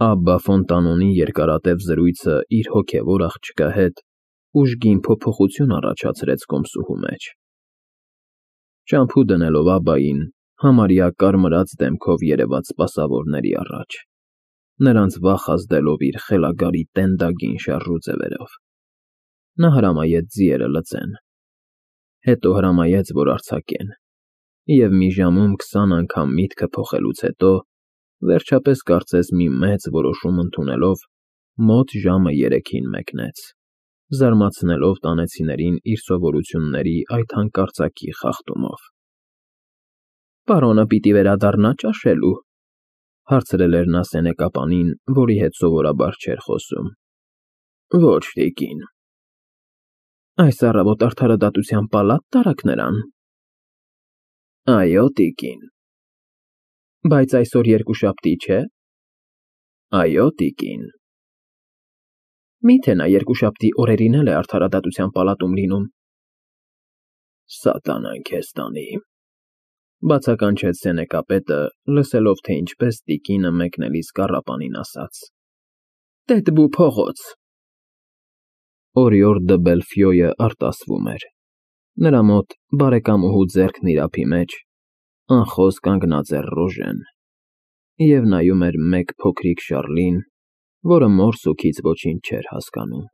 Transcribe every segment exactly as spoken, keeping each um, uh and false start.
Աբբա Ֆոնտանոնի երկարատև զրույցը իր հոգևոր աղջկա հետ ուժգին փոփոխություն առաջացրեց կոմսուհու մեջ. ճամփու դնելով Աբբային, համարյա կարմրած դեմքով երևաց սպասավորների առաջ, նրանց վախ ազդելով իր խելագարի տենդագին շարժու ձևերով. նա հրամայեց ձիերը լծեն, հետո հրամայեց, որ արձակեն, և մի ժամում քսան անգամ միտքը փոխելուց հետո, վերջապես կարծես մի մեծ որոշում ընդունելով, մոտ ժամը երեքին մեկնեց, զարմացնելով տանեցիներին իր սովորությունների այդ հանկարծակի խախտումով։ ֊ Պարոնը պիտի վերադառնա ճաշելու,֊ հարցրել էր նա սենեկապանին, որի հետ սովորաբար չէր խոսում։ ֊ Ոչ, տիկին։ ֊ Այս առավոտ արդարադատության պալա՞տ տարաք նրան։ ֊ Այո, տիկին։ ֊ Բայց այսօր երկուշաբթի չէ։ ֊ Այո, տիկին։ ֊ Մի՞թե նա երկուշաբթի օրերին էլ է արդարադատության պալատում լինում։ ֊ Սատանան քեզ տանի,֊ բացականչեց սենեկապետը, լսելով, թե ինչպես տիկինը մեկնելիս կառապանին ասաց. Տետ-բու փողոց… Օրիորդ դը Բելֆյոյը արտասվում էր։ Նրա մոտ, բարեկամուհու ձեռքն իր ափի մեջ, անխոս կանգնած էր Ռոժեն և նայում էր մեկ փոքրիկ Շառլին, որը մոր֊սուքից ոչինչ չէր հասկանում,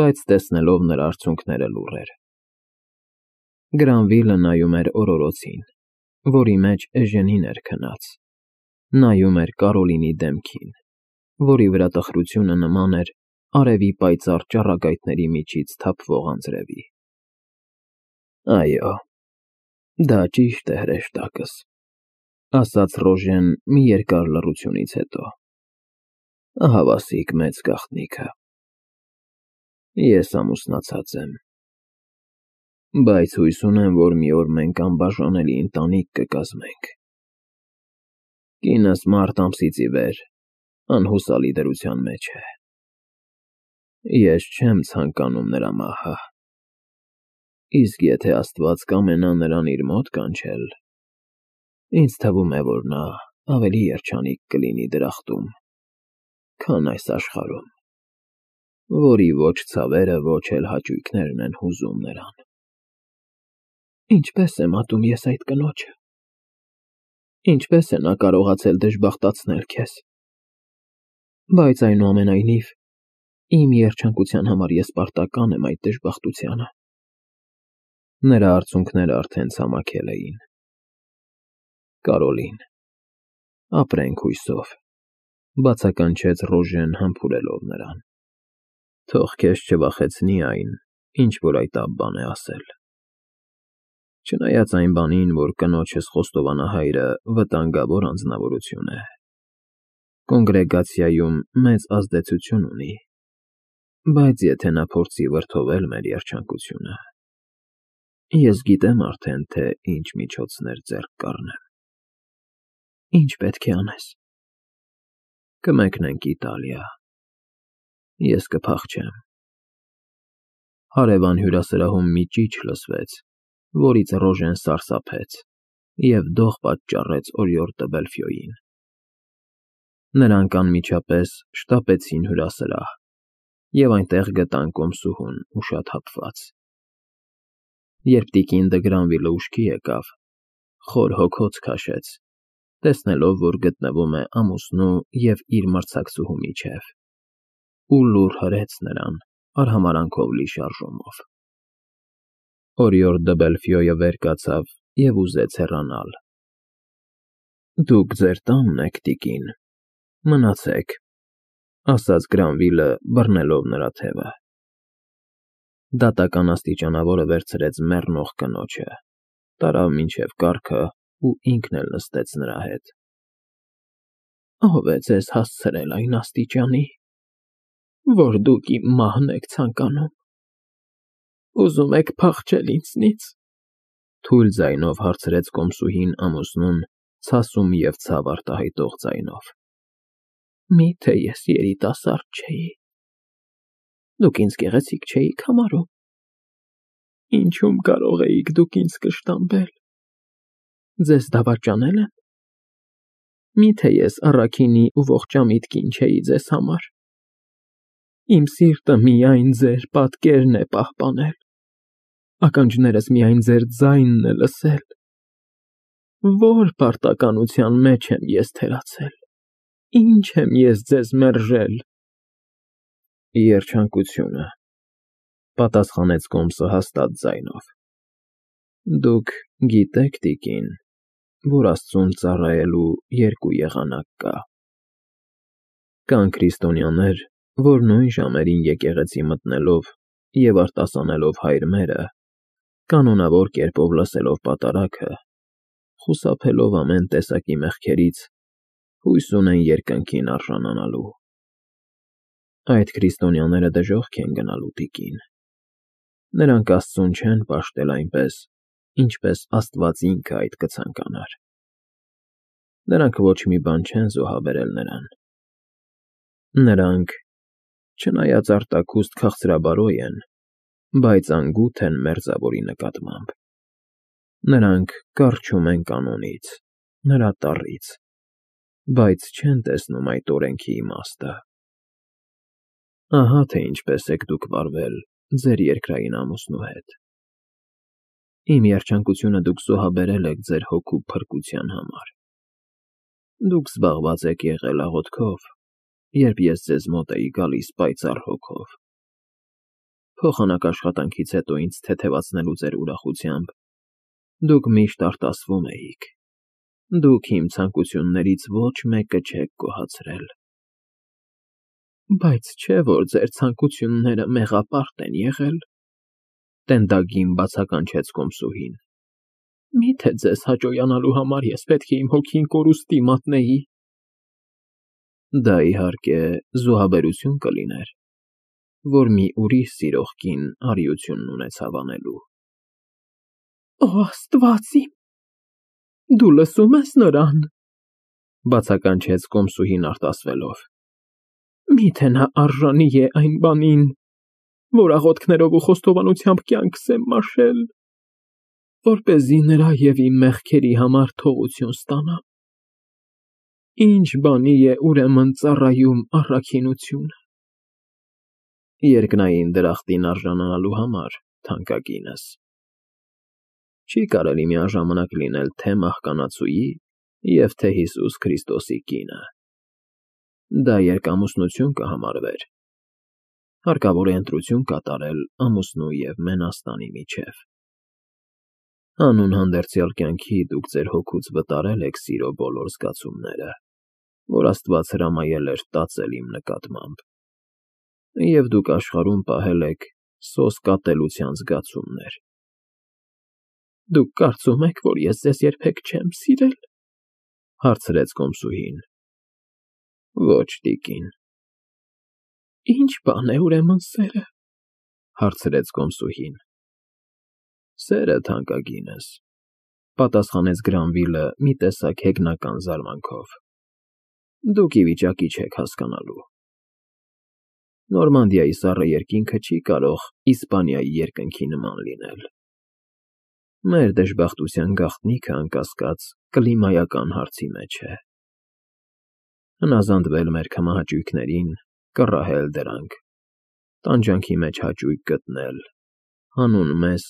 բայց տեսնելով նրա արցունքները լուռ էր։ Գրանվիլը նայում էր օրորոցին, որի մեջ Էժենին էր քնած, նայում էր Կարոլինի դեմքին, որի վրա տխրությունը նման էր արևի պայծառ ճառագայթների միջից թափվող անձրևի։ Այո, դա ճիշտ է, հրեշտակս,֊ ասաց Ռոժեն մի երկար լռությունից հետո։ Ահավասիկ մեծ գաղտնիքը։ Ես ամուսնացած եմ, բայց հույս ունեմ, որ մի օր մենք անբաժանելի ընտանիք կկազմենք։ Կինս մարտ ամսից ի վեր անհուսալի դրության մեջ է։ Ես չեմ ցանկանում նրա մահը, իսկ եթե Աստված կամենա նրան իր մոտ կանչել, ինձ թվում է, որ նա ավելի երջանիկ կլինի դրախտում, քան այս աշխարհում, որի ոչ ցավերը, ոչ էլ հաճույքներն են հուզում նրան։ Ինչպե՞ս եմ ատում ես այդ կնոջը։ Ինչպե՞ս է նա կարողացել դժբախտացնել քեզ։ Բայց այնուամենայնիվ, իմ երջանկության համար ես պարտական եմ այդ դժբախտությանը։ Նրա արցունքները արդեն ցամաքել էին։ Կարոլին, ապրենք հույսով,֊ բացականչեց Ռոժեն համբուրելով նրան։ Թող քեզ չվախեցնի այն, ինչ որ այդ Աբբան է ասել։ Չնայած այն բանին, որ կնոջս խոստովանահայրը վտանգավոր անձնավորություն է, կոնգրեգացիայում մեծ ազդեցություն ունի, բայց եթե նա փորձի վրդովել մեր երջանկությունը, ես գիտեմ արդեն, թե ինչ միջոցներ ձեռք կառնեմ։ Ինչ պետք է անես։ Կմեկնենք Իտալիա։ Ես կփախչեմ։ Հարևան հյուրասրահում մի ճիչ լսվեց, որից Ռոժեն սարսափեց և դող պատճառեց օրիորդ դը Բելֆյոյին։ Նրանք անմիջապես շտապեցին հյուրասրահ և այնտեղ գտան կոմսուհուն ուշաթափված։ Երբ տիկին դը Գրանվիլը ուշքի եկավ, խոր հոգոց քաշեց, տեսնելով, որ գտնվում է ամուսնու և իր մրցակցուհու միջև, ու լուռ հրեց նրան արհամարհանքով լի շարժումով։ Օրիորդ դը Բելֆյոյը վեր կացավ և ուզեց հեռանալ։ Դուք ձեր տանն եք, տիկին, մնացեք,֊ ասաց Գրանվիլը, բռնելով նրա թևը։ Դատական աստիճանավորը վերցրեց մեռնող կնոջը, տարավ մինչև կառքը ու ինքն էլ նստեց նրա հետ։ Ո՞վ է ձեզ հասցրել այն աստիճանի, որ դուք իմ մահն եք ցանկանում։ Ուզում եք փախչել ինձնից,֊ թույլ ձայնով հարցրեց կոմսուհին ամուսնուն ցասում և ցավ արտահայտող ձայնով։ Մի՞թե ես երիտասարդ չէի։ Դուք ինձ գեղեցիկ չէիք համարում։ Ինչու՞մ կարող էիք դուք ինձ կշտամբել։ Ձեզ դավաճանե՞լ եմ։ Միթե ես առաքինի ու ողջամիտ կին չէի ձեզ համար։ Իմ սիրտը միայն ձեր պատկերն է պահպանել, ականջներս միայն ձեր ձայնն է լսել։ Ո՞ր պարտականության մեջ եմ ես թերացել, ինչ եմ ես ձեզ մերժել։ Երջանկությունը, պատասխանեց Կոմսը հաստատ ձայնով։ Դուք գիտեք, տիկին, որ Աստծուն ծառայելու երկու եղանակ կա։ Կան քրիստոնյաներ, որ նույն ժամերին եկեղեցի մտնելով և արտասանելով հայր մերը, կանոնավոր կերպով լսելով պատարագը, խուսափելով ամեն տեսակի մեղքերից, հույս ունեն երկնքին արժանանալու։ Այդ քրիստոնյաները դժոխք են գնալու, տիկին։ Նրանք Աստծուն չեն պաշտել այնպես, ինչպես Աստված ինքը այդ կցանկանար։ Նրանք ոչ մի բան չեն զոհաբերել նրան։ Նրանք, չնայած արտաքուստ քաղցրաբարոյ են, բայց անգութ են մերձավորի նկատմամբ։ Նրանք կառչում են կանոնից, նրա տառից, բայց չեն տեսնում այդ օրենքի իմաստը։ Ահա թե ինչպես եք դուք վարվել ձեր երկրային ամուսնու հետ։ Իմ երջանկությունը դուք զոհաբերել եք ձեր հոգու փրկության համար։ Դուք զբաղված եք եղել աղոթքով, երբ ես ձեզ մոտ էի գալիս պայծառ հոգով։ Փոխանակ աշխատանքից հետո ինձ թեթևացնելու ձեր ուրախությամբ դուք միշտ արտասվում էիք։ Դուք իմ ցանկություններից ոչ մեկը չեք գոհացրել։ Բայց չէ՞ որ ձեր ցանկությունները մեղապարտ են եղել, տենդագին բացականչեց Կոմսուհին։ Միթե ձեզ հաճոյանալու համար ես պետք է իմ հոգին կորուստի մատնեի։ Դա իհարկե զոհաբերություն կլիներ, որ մի ուրիշ սիրող կին արիությունն ունեցավ անելու։ Օ, Աստված իմ, դու լսո՞ւմ ես նրան, բացականչեց Կոմսուհին արտասվելով։ Միթե նա արժանի է այն բանին, որ աղոթքներով ու խոստովանությամբ կյանքս եմ մաշել, որպեսզի նրա և իմ մեղքերի համար թողություն ստանամ։ Ինչ բանի է ուրեմն ծառայում առաքինությունը։ Երկնային դրախտին արժանանալու համար, թանկագինս։ Չի կարելի միաժամանակ լինել թե մահկանացուի և թե Հիսուս Քրիստոսի կինը։ Դա երկամուսնություն կհամարվեր։ Հարկավոր է ընտրություն կատարել ամուսնու և մենաստանի միջև։ Հանուն հանդերձյալ կյանքի դուք ձեր հոգուց վտարել եք սիրո բոլոր զգացումները, որ Աստված հրամայել էր տածել իմ նկատմամբ, և դուք աշխարհում պահել եք սոսկատելության զգացումներ։ Դուք կարծում եք, որ ես ձեզ երբեք չեմ սիրել, հարցրեց Կոմսուհին։ Ոչ, տիկին։ Ինչ բան է ուրեմն սերը, հարցրեց Կոմսուհին։ Սերը, թանկագինս, պատասխանեց Գրանվիլը մի տեսակ հեգնական զարմանքով։ Դուք ի վիճակի չեք հասկանալու։ Նորմանդիայի սառը երկինքը չի կարող Իսպանիայի երկնքի նման լինել։ Մեր դժբախտության գաղտնիքը, անկասկած, կլիմայական հարցի մեջ է։ Հնազանդվել մեր քմահաճույքներին, կռահել դրանք, տանջանքի մեջ հաճույք գտնել, հանուն մեզ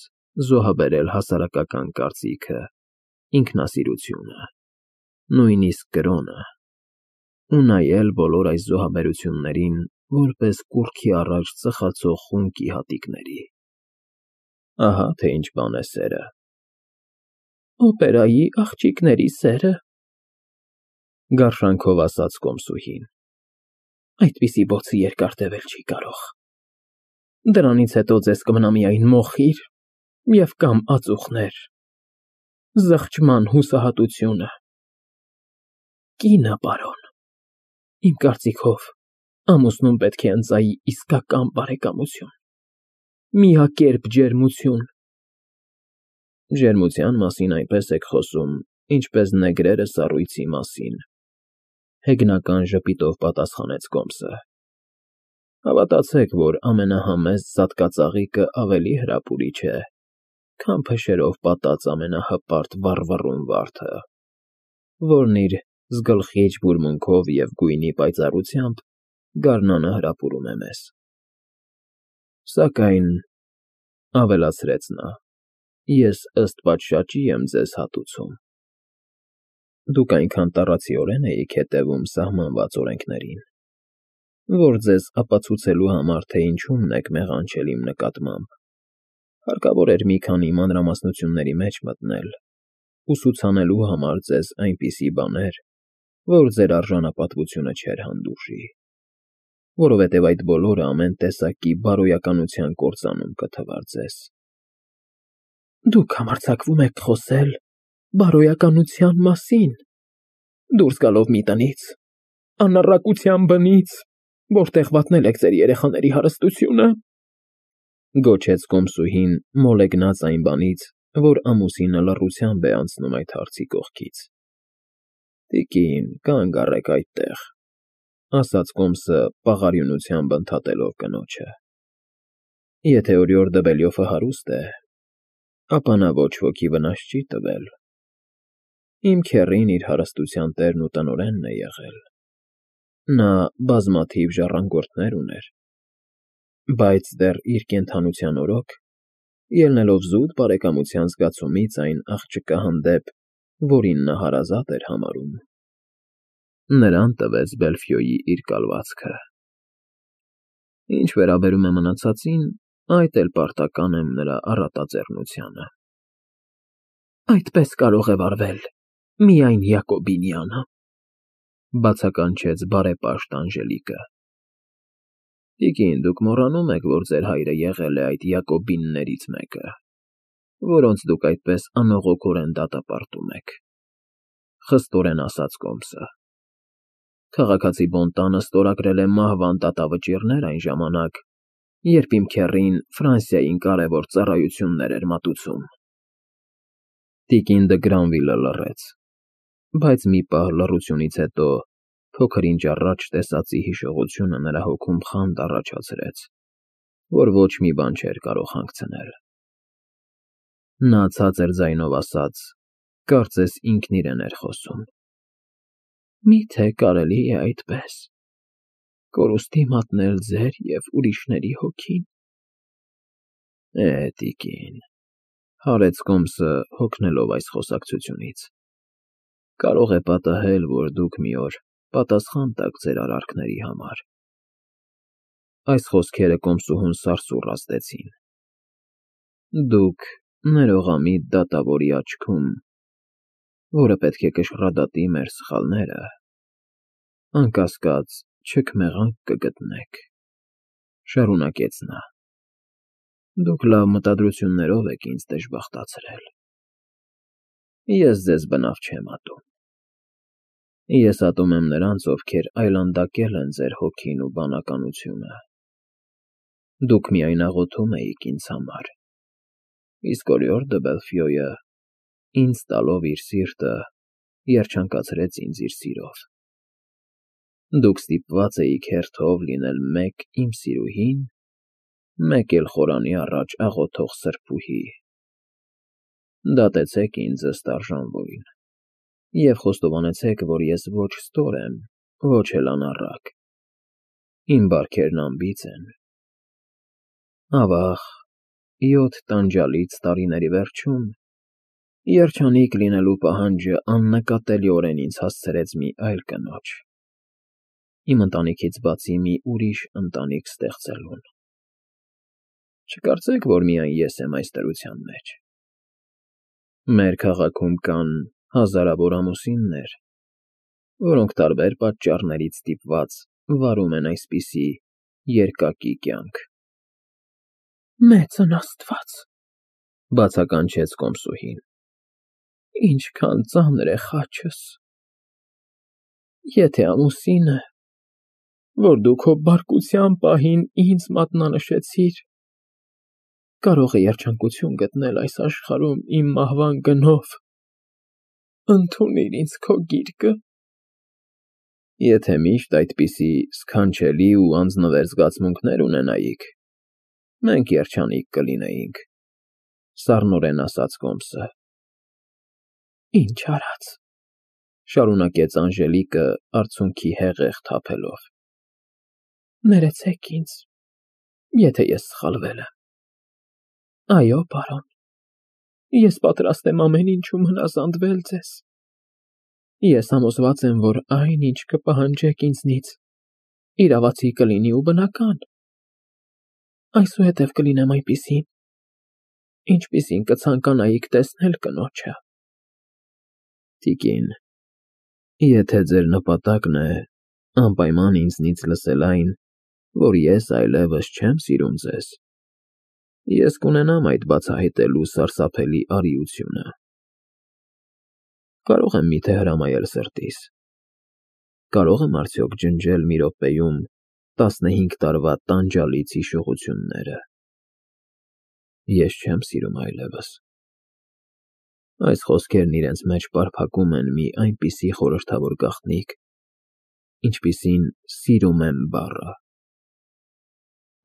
զոհաբերել հասարակական կարծիքը, ինքնասիրությունը, նույնիսկ կրոնը, ու նայել բոլոր այս զոհաբերություններին որպես կուռքի առաջ ծխացող խունկի հատիկների։ Ահա թե ինչ բան է սերը։ Օպերայի աղջիկների սերը, գարշանքով ասաց Կոմսուհին։ Այդպիսի բոցը երկար տևել չի կարող։ Դրանից հետո ձեզ կմնա միայն մոխիր և կամ ածուխներ, զղջման հուսահատությունը։ Կինը, պարոն, իմ կարծիքով, ամուսնուն պետք է ընծայի իսկական բարեկամություն, միակերպ ջերմություն։ Ջերմության մասին այնպես եք խոսում, ինչպես նեգրերը սառույցի մասին, հեգնական ժպիտով պատասխանեց Կոմսը։ Հավատացեք, որ ամենահամեստ զատկածաղիկը ավելի հրապուրիչ է, քան փշերով պատած ամենահպարտ վառվռուն վարդը, որն իր զգլխիչ բուրմունքով և գույնի պայծառությամբ գարնանը հրապուրում է մեզ։ Սակայն, ֊ ավելացրեց նա, ֊ ես ըստ պատշաճի եմ ձեզ հատուցում. դուք այնքան տառացիորեն էիք հետևում սահմանված օրենքներին, որ ձեզ ապացուցելու համար, թե ինչումն եք մեղանչել իմ նկատմամբ, հարկավոր էր մի քանի մանրամասնությունների մեջ մտնել, ուսուցանելու համար ձեզ այնպիսի բաներ, որ ձեր արժանապատվությունը չէր հանդուրժի, որովհետև այդ բոլորը ամեն տեսակի բարոյականության կործանում կթվար ձեզ։ ֊ Դուք համարձակվում եք խոսել բարոյականության մասին, դուրս գալով մի տնից, անառակության բնից, որտեղ վատնել եք ձեր երեխաների հարստությունը, ֊ գոչեց կոմսուհին, մոլեգնած այն բանից, որ ամուսինը լռությամբ է անցնում այդ հարցի կողքից։ ֊ Տիկին, կանգ առեք այդտեղ, ֊ ասաց կոմսը պաղարյունությամբ ընդհատելով կնոջը։ ֊ Եթե օրիորդ Դվելյոֆը հարուստ է, ապա նա ոչ ոքի վնաս չի տվել։ Իմ քեռին իր հարստության տերն ու տնօրենն է եղել։ Նա բազմաթիվ ժառանգորդներ ուներ, բայց դեռ իր կենդանության օրոք, ելնելով զուտ բարեկամության զգացումից այն աղջկա հանդեպ, որին նա հարազատ էր համարում, նրան տվեց Բելֆյոյի իր կալվածքը։ Ինչ վերաբերում է մնացածին, այդ էլ պարտական եմ նրա առատաձեռնությանը։ ֊ Այդպես կարող է վարվել միայն Յակոբինյանը, ֊ բացականչեց բարեպաշտ Անժելիկը։ ֊ Տիկին, դուք մոռանում եք, որ ձեր հայրը եղել է այդ Յակոբիններից մեկը, որոնց դուք այդպես անողոքորեն դատապարտում եք, ֊ խստորեն ասաց կոմսը։ Քաղաքացի Բոնտանը ստորագրել է մահվան դատավճիռներ այն ժամանակ, երբ իմ քեռին Ֆրանսիային կարևոր ծառայություններ էր մատուցում։ Տիկին դը Գրանվիլը լռեց, բայց մի պահ լռությունից հետո փոքր ինչ առաջ տեսածի հիշողությունը նրա հոգում խանդ առաջացրեց, որ ոչ մի բան չէր կարող հանգցնել։ Նա ցածր ձայնով ասաց, կարծես ինքն իրեն էր խոսում. Մի՞թե կարելի է այդպես կորուստի մատնել ձեր և ուրիշների հոգին։ ֊ Է, տիկին, ֊ հարեց կոմսը, հոգնելով այս խոսակցությունից, ֊ կարող է պատահել, որ դուք մի օր պատասխան տաք ձեր արարքների համար։ Այս խոսքերը կոմսուհուն սարսուռ ազդեցին։ Դուք ներողամիտ դատավորի աչքում, որը պետք է կշռադատի մեր սխալները, անկասկած չքմեղանք կգտնեք, ֊ շարունակեց նա։ Դուք լավ մտադրություններով եք ինձ դժբախտացրել։ Ես ձեզ բնավ չեմ ատում։ Ես ատում եմ նրանց, ովքեր այլանդակել են ձեր հոգին ու բանականությունը։ Դուք միայն աղոթում էիք ինձ համար, իսկ օրիորդ դը Բելֆյոյը, ինձ տալով իր սիրտը, երջանկացրեց ինձ իր սիրով։ Դուք ստիպված էիք հերթով լինել մեկ իմ սիրուհին, մեկ էլ խորանի առաջ աղոթող սրբուհի։ Դատեցեք ինձ ըստ արժանվույն և խոստովանեցեք, որ ես ոչ ստոր եմ, ոչ էլ անառակ, իմ բարքերն անբիծ են։ Ավա՜ղ, յոթ տանջալից տարիների վերջում երջանիկ լինելու պահանջը աննկատելիորեն ինձ հասցրեց մի այլ կնոջ, իմ ընտանիքից բացի մի ուրիշ ընտանիք ստեղծելուն։ Չկարծեք, որ միայն ես եմ այս դրության մեջ։ Մեր քաղաքում կան հազարավոր ամուսիններ, որոնք տարբեր պատճառներից ստիպված վարում են այսպիսի երկակի կյանք։ ֊ Մեծն Աստված, ֊ բացականչեց կոմսուհին, ֊ ինչքան ծանր է խաչս։ Եթե ամուսինը, որ դու քո բարկության պահին ինձ մատնանշեցիր, կարող է երջանկություն գտնել այս աշխարհում իմ մահվան գնով, ընդունիր ինձ քո գիրկը։ Եթե միշտ այդպիսի սքանչելի ու անձնվեր զգացմունքներ ունենայիք, մենք երջանիկ կլինեինք, ֊ սառնորեն ասաց կոմսը։ Ինչ արած, Շարունակեց Անժելիկը, արցունքի հեղեղ թափելով։ Ներեցեք ինձ, եթե ես սխալվել եմ։ Այո, պարոն, ես պատրաստ եմ ամեն ինչում հնազանդվել ձեզ։ Ես համոզված եմ, որ այն, ինչ կպահանջեք ինձնից, իրավացի կլինի ու բնական։ Այսուհետև կլինեմ այնպիսին, ինչպիսին կցանկանայիք տեսնել կնոջը։ Տիկին, եթե ձեր նպատակն է անպայման ինձնից լսել այն, որ ես այլևս չեմ սիրում ձեզ, ես կունենամ այդ բացահայտելու սարսափելի արիությունը։ Կարո՞ղ եմ միթե հրամայել սրտիս։ Կարո՞ղ եմ արդյոք ջնջել մի րոպեում տասնհինգ տարվա տանջալից հիշողությունները։ Ես չեմ սիրում այլևս։ Այս խոսքերն իրենց մեջ պարփակում են մի այնպիսի խորհրդավոր գաղտնիք, ինչպիսին սիրում եմ բառը։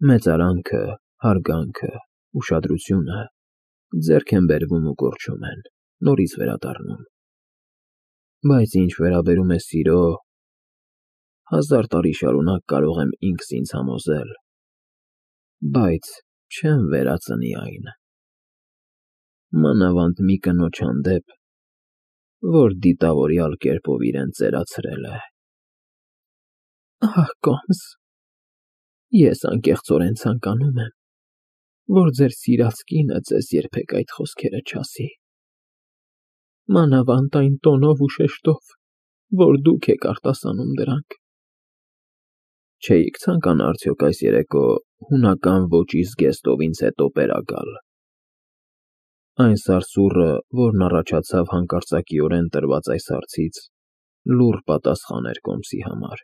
Մեծարանքը, հարգանքը, ուշադրությունը ձեռք են բերվում ու կորչում են, նորից վերադառնում։ Բայց ինչ վերաբերում է սիրո, հազար տարի շարունակ կարող եմ ինքս ինձ համոզել, բայց չեմ վերածնի այն։ Մանավանդ մի կնոջ հանդեպ, որ դիտավորյալ կերպով իրեն ծերացրել է։ Ահ, կոմս, ես անկեղծորեն ցանկանում եմ, որ ձեր սիրած կինը ձեզ երբեք այդ խոսքերը չասի։ Մանավանդ այն տոնով ու շեշտով, որ դուք եք արտասանում դրանք։ Չէիք ցանկանա արդյոք այս երեկո հունական ոճի զգեստով ինձ հետո պերա գալ։ Այն սարսուռը, որն առաջացավ հանկարծակիորեն տրված այս հարցից, լուռ պատասխան էր կոմսի համար։